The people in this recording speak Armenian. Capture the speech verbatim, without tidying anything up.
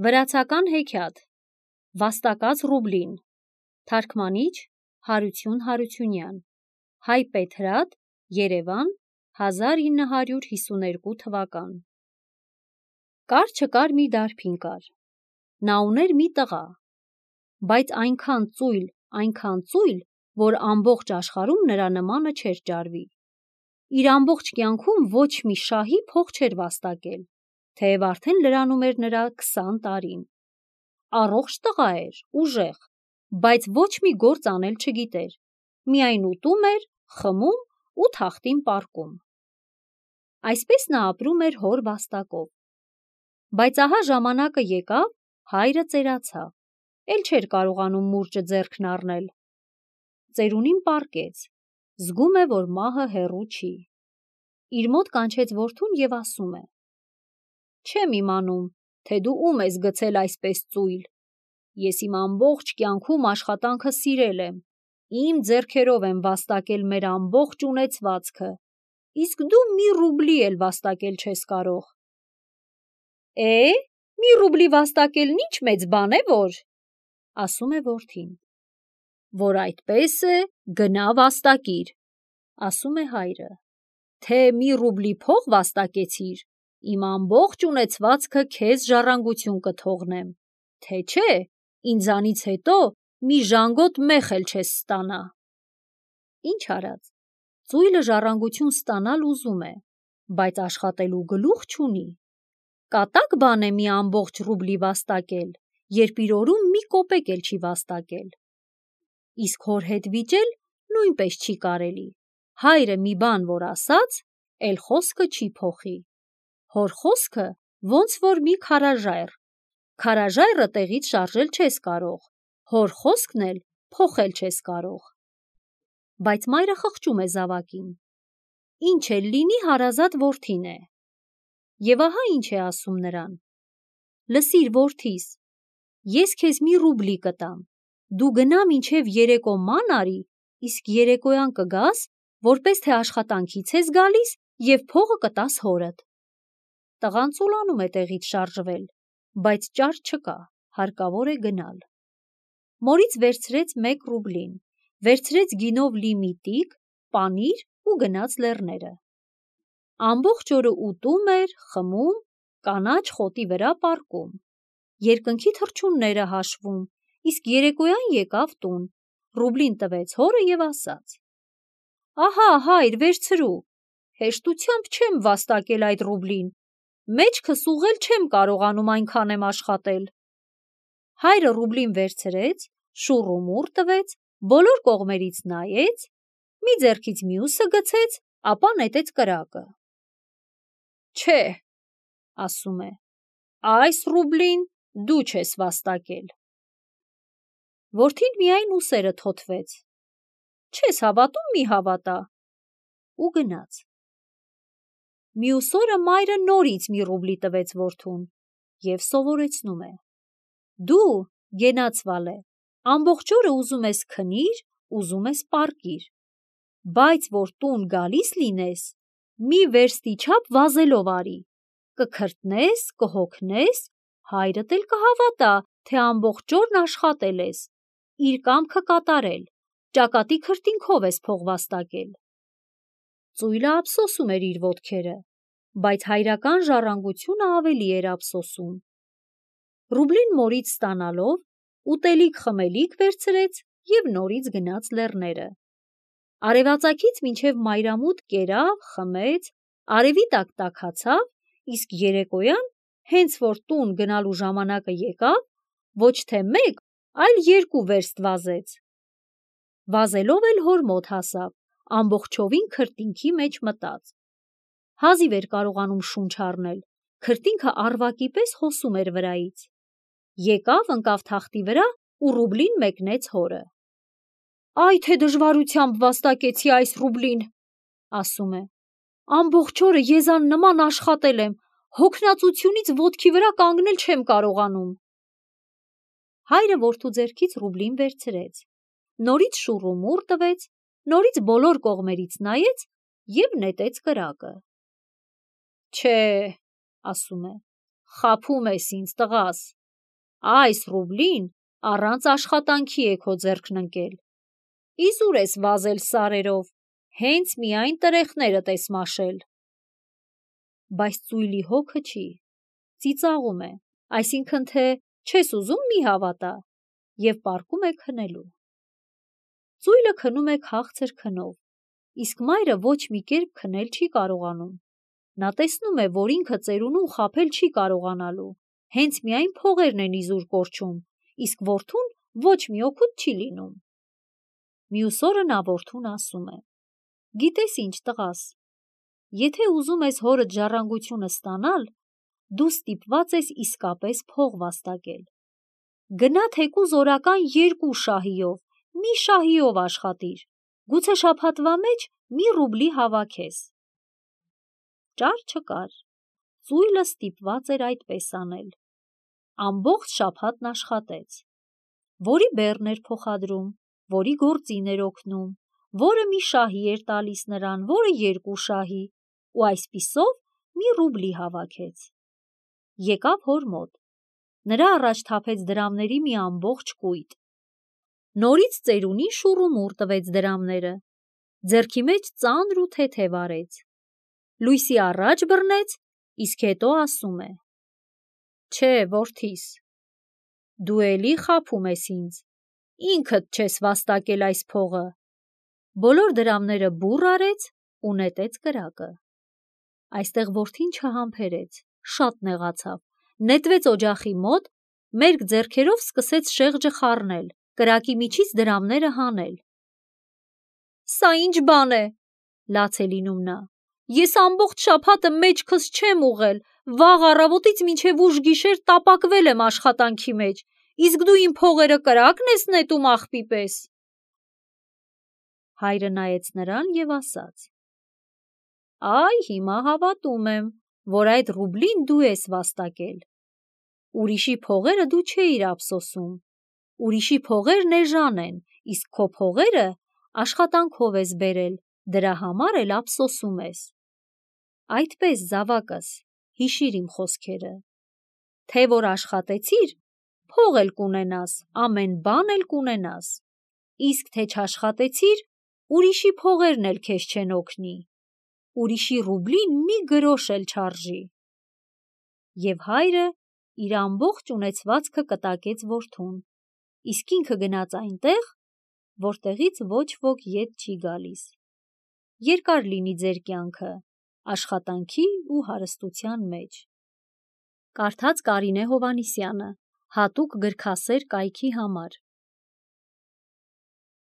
Վրացական հեքիաթ Վաստակած ռուբլին Թարգմանիչ Հարություն Հարությունյան Հայ Պետրատ Երևան հազար ինը հարյուր հիսուներկու թվական Կար չկար մի դարբին կար Նա ուներ մի տղա Բայց այնքան ծույլ, այնքան ծույլ, որ ամբողջ աշխարհում նրա նմանը չէր ճարվի Իր ամբողջ կյանքում ոչ մի շահի փող չէր վաստակել Թեև արդեն լրանում էր նրա քսան տարին Առողջ տղա էր, ուժեղ, բայց ոչ մի գործ անել չգիտեր Միայն ուտում էր, խմում ու թախտին պառկում Այսպես նա ապրում էր հոր վաստակով Բայց ահա ժամանակը եկավ, հայրը ծերացավ Էլ չէր կարողանում մուրճը ձեռքն առնել Ծերունին պառկեց Զգում է, որ մահը հեռու չի Իր մոտ կանչեց որդուն և ասում է Չեմ իմանում, թե դու ում ես գցել այսպես ծույլ Ես իմ ամբողջ կյանքում աշխատանքը սիրել եմ Իմ ձեռքերով եմ վաստակել մեր ամբողջ ունեցվածքը Իսկ դու մի ռուբլի էլ վաստակել չես կարող Է, մի ռուբլի վաստակելն ինչ մեծ բան է, որ Ասում է որդին Որ այդպես է, գնա վաստակիր Ասում է հայրը Թե մի ռուբլի փող վաստակեցիր Իմ ամբողջ ունեցվածքը քեզ ժառանգություն կթողնեմ Թե չէ, ինձանից հետո մի ժանգոտ մեխ էլ չես ստանա Ինչ արած, ծույլը ժառանգություն ստանալ ուզում է, բայց աշխատելու գլուխ չունի Կատակ բան է մի ամբողջ ռուբլի վաստակել, երբ իր օրում մի կոպեկ էլ չի վաստակել Իսկ հոր հետ վիճել նույնպես չի կարելի Հայրը մի բան որ ասաց, էլ խոսքը չի փոխի Հոր խոսքը ոնց որ մի քարաժայռ Քարաժայռը տեղից շարժել չես կարող, հոր խոսքն էլ փոխել չես կարող Բայց մայրը խղճում է զավակին Ինչ էլ լինի հարազատ որդին է Եվ ահա ինչ է ասում նրան Լսիր որդիս, ես քեզ մի ռուբլի կտամ Դու գնա մինչև երեկո ման արի, իսկ երեկոյան կգաս, որպես թե աշխատանքից ես գալիս և փողը կտաս հորդ Տղան ծուլանում է տեղից շարժվել, բայց ճար չկա, հարկավոր է գնալ Մորից վերցրեց մեկ ռուբլին, վերցրեց գինով լի մի տիկ, պանիր ու գնաց լեռները Ամբողջ օրը ուտում էր, խմում, կանաչ խոտի վրա պառկում Երկնքի թռչունները հաշվում, իսկ երեկոյան եկավ տուն, ռուբլին տվեց հորը և ասաց Ահա հայր վերցրու, հեշտությամբ չեմ վաստակել այդ ռուբլին, մեջքս ուղղել չեմ կարողանում այնքան եմ աշխատել Հայրը ռուբլին վերցրեց, շուռ ու մուռ տվեց, բոլոր կողմերից նայեց, մի ձեռքից մյուսը գցեց, ապա նետեց կրակը Չէ, ասում է, այս ռուբլին դու չես վաստակել Որդին միայն ուսերը թոթվեց Չես հավատում մի հավատա ու գնաց Մյուս օրը մայրը նորից մի ռուբլի տվեց որդուն և սովորեցնում է Դու, գենացվալ է, ամբողջ օրը ուզում ես քնիր, ուզում ես պառկիր Բայց որ տուն գալիս լինես, մի վերստի չափ վազելով արի Կքրտնես, կհոգնես, հայրդ էլ կհավատա, թե ամբողջ օրն աշխատել ես, իր կամքը կատարել, ճակատի քրտինքով ես փող վաստակել Ծույլը ափսոսում էր իր ոտքերը, բայց հայրական ժառանգությունը ավելի էր ափսոսում Ռուբլին մորից ստանալով, ուտելիք-խմելիք վերցրեց և նորից գնաց լեռները Արևածագից մինչև մայրամուտ կերավ, խմեց, արևի տակ տաքացավ, իսկ երեկոյան, հենց որ տուն գնալու ժամանակը եկավ, ոչ թե մեկ, այլ երկու վերստ վազեց Վազելով էլ հոր մոտ հասավ, ամբողջովին քրտինքի մեջ մտած Հազիվ էր կարողանում շունչ առնել, քրտինքը առվակի պես հոսում էր վրայից Եկավ, ընկավ թախտի վրա ու ռուբլին մեկնեց հորը Այ թե դժվարությամբ վաստակեցի այս ռուբլին, ասում է, ամբողջ օրը եզան նման աշխատել եմ, հոգնածությունից ոտքի վրա կանգնել չեմ կարողանում Հայրը որդու ձեռքից ռուբլին վերցրեց, նորից շուռ ու մուռ տվեց, նորից բոլոր կողմերից նայեց և նետեց կրակը Չէ, ասում է, խաբում ես ինձ տղաս, այս ռուբլին առանց աշխատանքի է քո ձեռքն ընկել։ Իզուր ես վազել սարերով, հենց միայն տրեխներդ ես մաշել։ Բայց ծույլի հոգը չի, ծիծաղում է, այսինքն թե չես ուզում մի հավատա, և պառկում է քնելու։ Ծույլը քնում է քաղցր քնով, իսկ մայրը ոչ մի կերպ քնել չի կարողանում։ Նա տեսնում է, որ ինքը ծերունուն խաբել չի կարողանալու, հենց միայն փողերն են իզուր կորչում, իսկ որդուն ոչ մի օգուտ չի լինում։ Մյուս օրը նա որդուն ասում է. «Գիտես ինչ, տղաս, եթե ուզում ես հորդ ժառանգությունը ստանալ, դու ստիպված ես իսկապես փող վաստակել։ Գնա թեկուզ օրական երկու շահիով, մի շահիով աշխատիր, գուցե շաբաթվա մեջ մի ռուբլի հավաքես»։ Ճար չկար, ծույլը ստիպված էր այդպես անել։ Ամբողջ շաբաթն աշխատեց, որի բեռն էր փոխադրում, որի գործին էր օգնում, որը մի շահի էր տալիս նրան, որը երկու շահի, ու այսպիսով մի ռուբլի հավաքեց։ Եկավ հոր մոտ, նրա առաջ թափեց դրամների մի ամբողջ կույտ։ Նորից ծերունին շուռումուռ տվեց դրամները, ձեռքի մեջ ծանր ու թեթև արեց, լույսի առաջ բռնեց, իսկ հետո ասում է. «Չէ, որդիս, դու էլի խաբում ես ինձ, ինքդ չես վաստակել այս փողը»։ Բոլոր դրամները բուռ արեց ու նետեց կրակը։ Այստեղ որդին չհամբերեց, շատ նեղացավ, նետվեց օջախի մոտ, մերկ ձեռքերով սկսեց շեղջը խառնել, կրակի միջից դրամները հանել։ «Սա ինչ բան է», լաց է լինում նա, «ես ամբողջ շաբաթը մեջքս չեմ ուղղել, վաղ առավոտից մինչև ուշ գիշեր տապակվել եմ աշխատանքի մեջ, իսկ դու իմ փողերը կրակն ես նետում աղբի պես»։ Հայրը նայեց նրան և ասաց. «Այ հիմա հավատում եմ, որ այդ ռուբլին դու ես վաստակել։ Ուրիշի փողերը դու չէիր ափսոսում, ուրիշի փողերն էժան են, իսկ քո փողերը աշխատանքով ես բերել, դրա համար էլ ափսոսում ես։ Այդպես, զավակս, հիշիր իմ խոսքերը, թե որ աշխատեցիր, փող էլ կունենաս, ամեն բան էլ կունենաս, իսկ թե չաշխատեցիր, ուրիշի փողերն էլ քեզ չեն օգնի, ուրիշի ռուբլին մի գրոշ էլ չարժի»։ Եվ հայրը իր ամբողջ ունեցվածքը կտակեց որդուն, իսկ ինքը գնաց այնտեղ, որտեղից ոչ ոք ետ չի գալիս։ Երկար լինի ձեր կյանքը աշխատանքի ու հարստության մեջ։ Կարդաց Կարինե Հովհաննիսյանը, հատուկ գրքասեր կայքի համար։